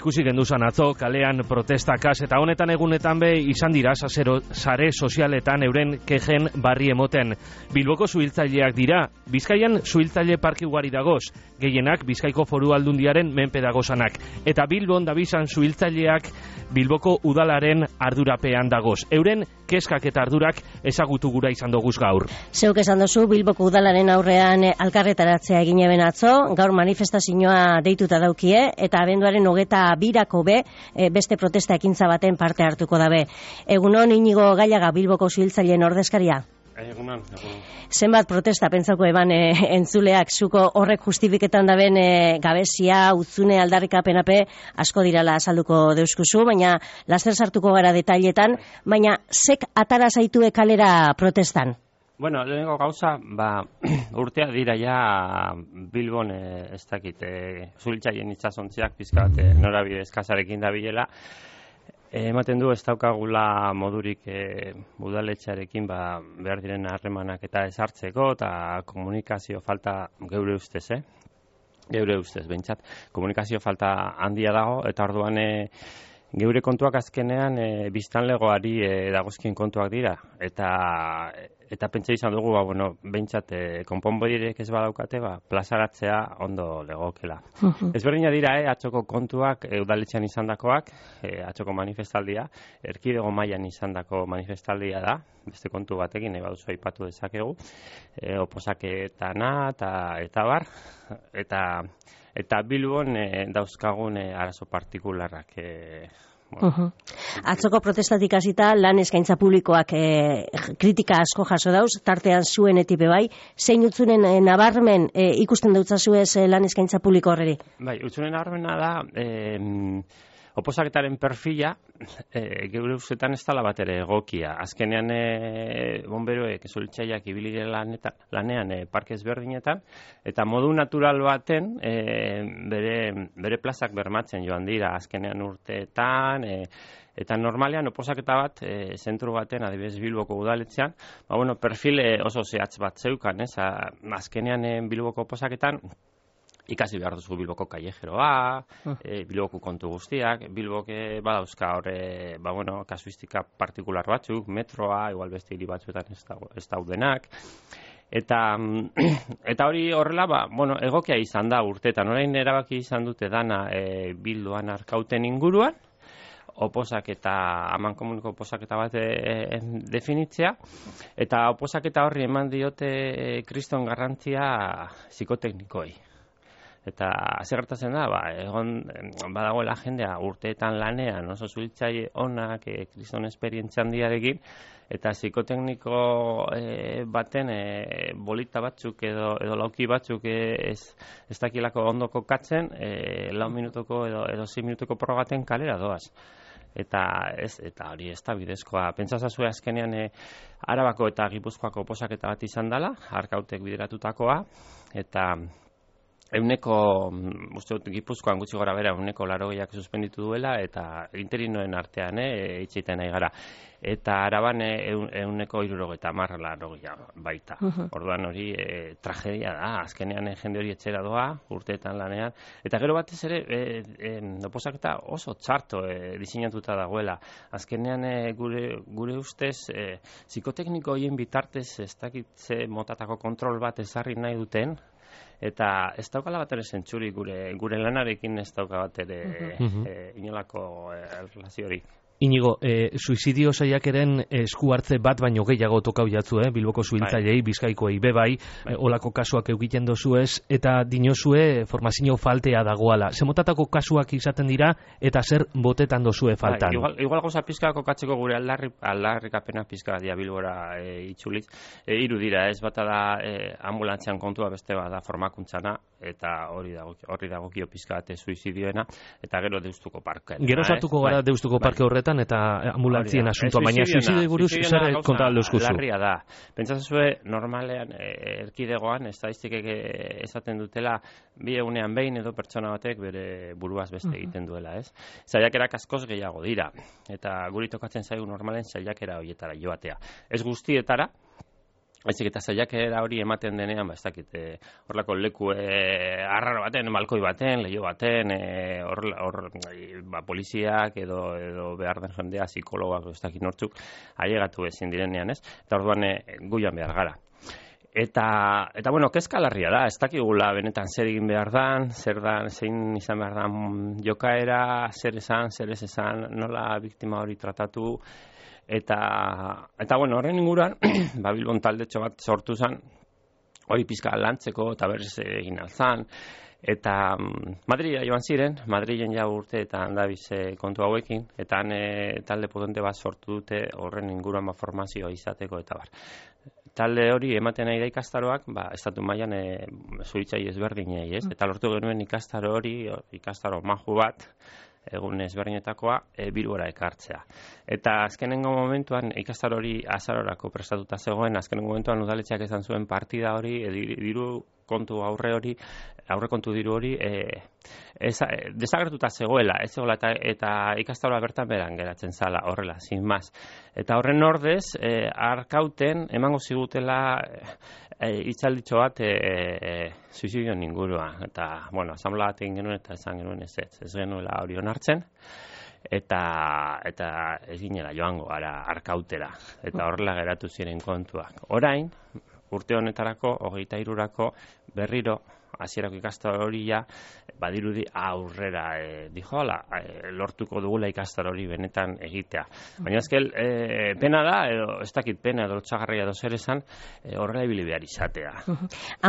Ikusi genduzan atzo, kalean protestakaz, eta honetan egunetan be izan dira sare sozialetan euren kejen barri emoten. Bilboko suhiltzaileak dira, Bizkaian suhiltzaile parke ugari dagoz, gehienak Bizkaiko Foru Aldundiaren menpe dagozanak. Eta Bilbon dabizan suhiltzaileak Bilboko udalaren ardurapean dagoz. Euren keskak eta ardurak ezagutu gura izan doguz gaur. Zeuk esan dozu, Bilboko udalaren aurrean alkarretaratzea egin eben atzo, gaur manifestazioa deituta daukie, eta abenduaren 22 beste protesta ekintza baten parte hartuko dabe. Egunon, Inigo Gaiaga, Bilboko suhiltzaileen ordezkaria? Egunon. Zenbat protesta pentsako eban entzuleak, zuko horrek justifiketan daben gabezia, utzune, aldarrikapenape asko dirala azalduko deuskuzu, baina laster sartuko gara detailetan, baina zek atara zaitue kalera protestan? Bueno, lehenengo gauza, urtea dira ja Bilbon ez dakit, suhiltzaileen itsasontziak pizka bat norabide eskasarekin dabilela. Ematen du ez daukagula modurik udaletxearekin behar diren harremanak eta ezartzeko, eta komunikazio falta geure ustez, geure ustez, behintzat, komunikazio falta handia dago, eta orduan geure kontuak azkenean biztanlegoari dagozkien kontuak dira, eta pentsa izan dugu, behintzat konponbiderik ez badaukate, plazaratzea ondo legokela. Ezberdina dira, atzoko kontuak udaletxean izandakoak, atzoko manifestaldia, erkidego mailan izandako manifestaldia da, beste kontu batekin, baduzu aipatu dezakegu, oposaketana eta bar, eta Bilbon dauzkagun arazo partikularrak. Atzoko protestatik hasita lan eskaintza publikoak kritika asko jaso dauz, tartean zuen etipe bai, zein utzunen nabarmen ikusten dautzazuez lan eskaintza publiko horreri? Bai, utzunen nabarmena da, oposaketaren perfila geure ustetan ez dela bat ere egokia. Azkenean bonberoek suhiltzaileak ibili lanean parke ezberdinetan, eta modu natural baten bere plazak bermatzen joan dira azkenean urteetan, eta normalean oposaketa bat zentru baten, adibidez Bilboko udaletxean, perfil oso zehatz bat zeukan, azkenean Bilboko oposaketan ikasi behar duzu Bilboko kallejeroa, Bilboko kontu guztiak, Bilboke badauzka horre, kasuistika partikular batzuk, metroa, igual beste hiri batzuetan ez daudenak, eta hori horrela, egokia izan da urteetan, orain erabaki izan dute dana Bilduan Arkauten inguruan, amankomuniko oposaketa bat definitzea, eta oposaketa horri eman diote kriston garrantzia psikoteknikoi. Eta ze gertatzen da, egon badagoela jendea urteetan lanean, oso suhiltzaile onak, kriston esperientzia handiarekin, eta psikotekniko baten bolita batzuk edo lauki batzuk ez dakilako ondo kokatzen, 4 minutuko edo 6 minutuko probaten kalera doaz. Eta hori ez da bidezkoa. Pentsazazue azkenean Arabako eta Gipuzkoako oposaketa bat izan dela, Arkautek bideratutakoa, eta uste dut Gipuzkoan gutxi gora bera, 80ak suspenditu duela, eta interinoen artean itxeiten nahi gara. Eta Araban 70% baita. Orduan hori tragedia da, azkenean jende hori etxera doa, urteetan lanean. Eta gero batez ere, oposaketa oso txarto diseinatuta dagoela. Azkenean gure ustez, psikotekniko horien bitartez ez dakitze motatako kontrol bat ezarri nahi duten, eta ez daukala bat ere zentsuri gure lanarekin ez dauka bat ere inolako relaziorik. Inigo, suizidio saiakeren esku hartze bat baino gehiago tokau jatzu, Bilboko suhiltzaileei, Bizkaikoei bebai, olako kasuak egiten dozuez, eta dinozue formazio faltea dagoala. Zemotatako kasuak izaten dira, eta zer botetan dozue faltan? Igual goza pizka kokatzeko gure aldarrikapena pizka dia Bilbora itxuliz. Hiru dira, ez bata da ambulantzian kontua, beste bada formakuntzana, eta hori dagokio pizka bat suizidioena, eta gero Deustuko parkean. Gero sartuko gara Deustuko parke horretan, eta ambulantzien asuntoa, baina suizidioei buruz zer konta alduzkuzu? Larria da. Pentsazue normalean erkidegoan estadistikek esaten dutela 2 egunean behin edo pertsona batek bere buruaz beste egiten duela, ez? Saiakerak askoz gehiago dira, eta guri tokatzen zaigu normalen saiakera horietara joatea. Ez guztietara, Baizik eta saiakera hori ematen denean, ez dakit, horrelako leku arraro baten, balkoi baten, leiho baten, poliziak edo behar den jendea, psikologak, ez dakit nortzuk, ailegatu ezin direnean, ez? Eta orduan guian behar gara. Eta bueno, kezkalarria da, ez dakigula benetan zer egin behar dan, zein izan behar dan jokaera, zer esan, zer ez esan, nola biktima hori tratatu. Eta bueno, horren inguruan, Bilbon taldetxo bat sortu zen, hori pizka lantzeko eta berriz egin altzan. Eta Madrida joan ziren, Madrilen ja urte eta handabiz kontu hauekin, eta han talde potente bat sortu dute horren inguruan formazioa izateko eta bar. Talde hori ematen nahi da ikastaroak, estatu mailan zuhiltzaile ezberdinei, ez? Eta lortu genuen ikastaro hori, ikastaro maju bat, egun ezberdinetakoa, Bilbora ekartzea. Eta azkenengo momentuan, ikastaro hori azarorako prestatuta zegoen, azkenengo momentuan udaletxeak esan zuen partida hori, diru kontu aurrekontu diru hori desagertuta zegoela, ez zegoela eta ikastaroa bertan beran geratzen zala horrela, sin más. Eta horren ordez, arkauten emango zigutela hitzalditxo bat suizidioen inguruan. Eta, bueno, asamblea bat egin genuen eta esan genuen ez genuela hori onartzen. Eta ez ginela joango gara arkautera. Eta horrela geratu ziren kontuak. Orain, urte honetarako, 23rako, berriro, hasierako ikastaro hori ja, badirudi aurrera lortuko dugula ikastaro hori benetan egitea. Baina azkel, pena da, edo ez dakit pena, edo lotxagarria edo zer esan, horrela ibili behar izatea.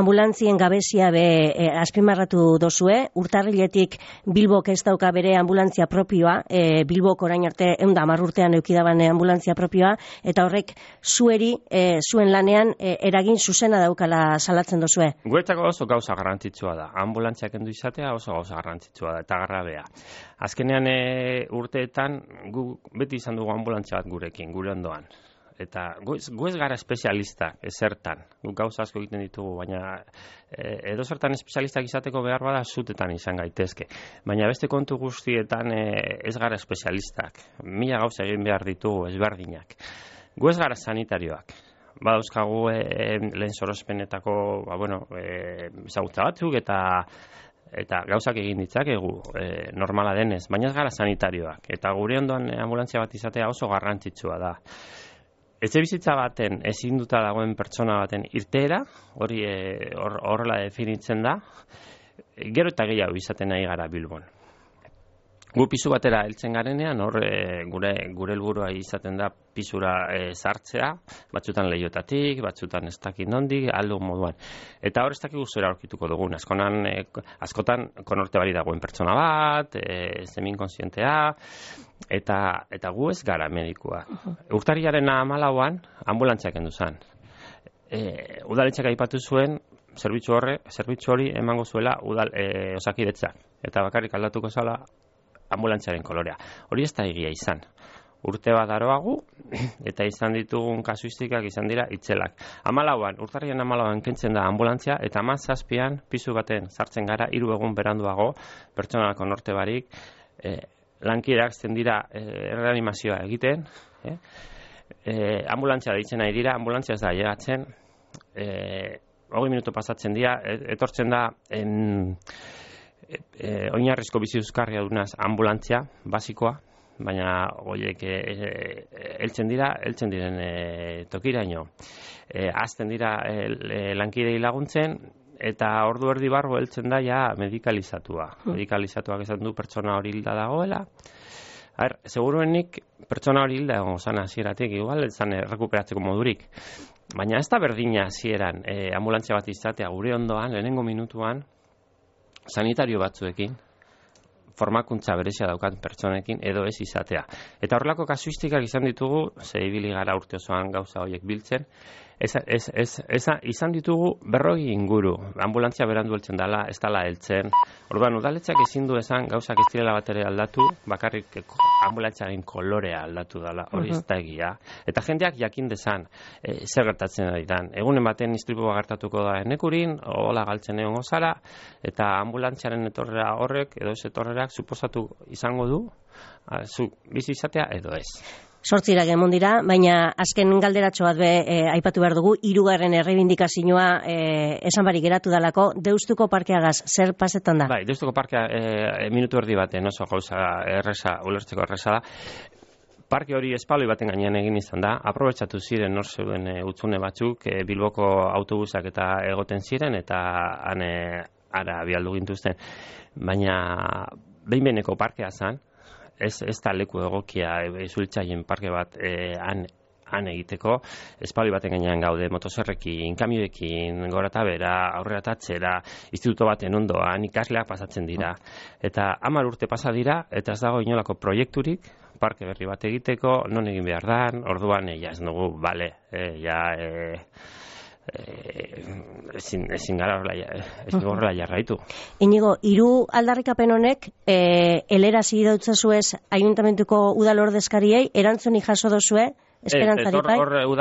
Ambulantzien gabezia azpimarratu dozue, urtarriletik Bilbok ez dauka bere ambulantzia propioa, Bilbok orain arte 110 urtean eukidaban ambulantzia propioa, eta horrek zuen lanean eragin zuzena daukala salatzen dozue. Guretzako oso gauza garrantzitsua da. Ambulantziak kendu izatea oso gauza garrantzitsua da eta garrabea. Azkenean urteetan gu beti izan dugu ambulantzia bat gurekin, gure ondoan. Eta gu ez gara espezialistak ezertan. Gu gauza asko egiten ditugu, baina edo zertan espezialistak izateko behar bada zutetan izan gaitezke. Baina beste kontu guztietan ez gara espezialistak. 1000 gauza egin behar ditugu ezberdinak. Gu ez gara sanitarioak. Badauzkagu lehen sorospenetako ezagutza batzuk eta gauzak egin ditzakegu normala denez, baina ez gara sanitarioak. Eta gure ondoan ambulantzia bat izatea oso garrantzitsua da. Etxebizitza baten ezinduta dagoen pertsona baten irteera, hori horrela definitzen da, gero eta gehiago izaten nahi gara Bilbon. Gu pisu batera heltzen garenean, hor gure helburua izaten da pisura sartzea, batzutan leihotatik, batzutan ez dakit nondik, aldo moduan. Eta hor ez dakik guzera aurkituko dugun, askotan konorte bari dagoen pertsona bat, semi-inkonsientea, eta gu ez gara medikua. Urtarriaren 14an, ambulantziak kendu zen. Udaletxeak aipatu zuen, zerbitzu hori emango zuela Osakidetzak, eta bakarrik aldatuko zala ambulantziaren kolorea. Hori ez da egia izan. Urte bat daroagu, eta izan ditugun kasuistikak izan dira itzelak. Urtarrian 14an kentzen da ambulantzia, eta 17an pisu baten sartzen gara 3 egun beranduago, pertsonalako norte barik, lankideak zen dira reanimazioa egiten, ambulantzia deitzen nahi dira, ambulantzia ez da llegatzen, 20 minutu pasatzen dira, etortzen da oinarrizko bizi euskarria dunaz ambulantzia, basikoa, baina horiek heltzen diren tokiraino. Azten dira lankidei laguntzen, eta ordu erdi barru heltzen da ja medikalizatua. Medikalizatuak esan du pertsona hori hilda dagoela. Seguruenik pertsona hori hilda egon zan hasieratik, igual zan rekuperatzeko modurik. Baina ez da berdina hasieran ambulantzia bat izatea gure ondoan, lehenengo minutuan, sanitario batzuekin, formakuntza berezia daukat pertsonekin, edo ez izatea. Eta horrelako kasuistikak izan ditugu, ze ibili gara urte osoan gauza horiek biltzen, izan ditugu 40 inguru. Ambulantzia berandu heltzen dela, ez dela heltzen. Orduan, udaletxeak ezin du esan gauzak ez direla bat ere aldatu, bakarrik ambulantziaren kolorea aldatu dela, hori ez da egia. Eta jendeak jakin dezan, zer gertatzen ari dan. Egunen baten istripua gertatuko da enekurin, hola galtzen egon gozara, eta ambulantziaren etorrera horrek, edo ez etorrerak, suposatu izango du, zu bizi izatea edo ez. Sortzirak emon dira, baina azken galderatxo bat aipatu behar dugu, 3. erreibindikazioa esan barik geratu dalako, Deustuko parkeagaz, zer pasetan da? Bai, Deustuko parkea minutu erdi baten oso gauza erresa, ulertzeko erresa da. Parke hori espaloi baten gainean egin izan da, aprobetxatu ziren nor zeuden utzune batzuk, Bilboko autobusak eta egoten ziren, eta ara bialdu gintuzten. Baina behin-behineko parkea zen, ez da leku egokia zuhiltzaien parke bat han egiteko, espaloi baten gainean gaude, motozerrekin, kamioekin, gora eta bera, aurrera eta atzera, instituto baten ondoan, ikasleak pasatzen dira. Eta 10 urte pasa dira, eta ez dago inolako proiekturik, parke berri bat egiteko, non egin behar dan, orduan, ez dugu, bale, ezin gara horrela jarraitu. Inigo, 3 aldarrikapen honek, helerazi dautzazu ez ayuntamentuko udal ordezkariei, erantzunik jaso dozue, esperantzarik bai? Hor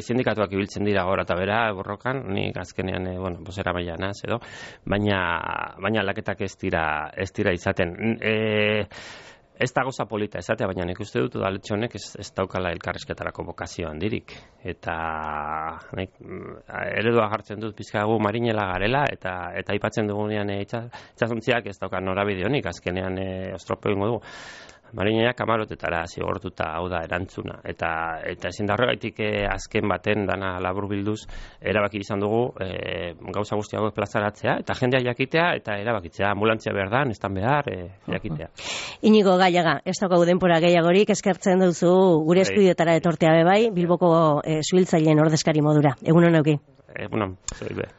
sindikatuak ibiltzen dira gora eta bera, borrokan, nik azkenean, bozera mailanaz, edo, baina laketak ez dira izaten. Ez da goza polita esatea, baina nik uste dut udaletxe honek ez daukala elkarrizketarako bokazio handirik. Eta eredua jartzen dut pizkagu marinela garela, eta aipatzen dugunean itsasontziak ez dauka norabide honik, azkenean ostropo egingo dugu. Marineak kamarotetara zigortuta, hau da erantzuna. Eta ezin da horregaitik azken baten dana laburbilduz erabaki izan dugu gauza guztiago plazaratzea, eta jendea jakitea, eta erabakitzea, ambulantzia behar da, nestan behar, jakitea. Inigo Gaiaga, ez daukagu denbora gehiagorik, eskertzen duzu gure estudiotara etortea bai, Bilboko zuhiltzaileen ordezkari modura. Egunon euki. Egunon, zoi be.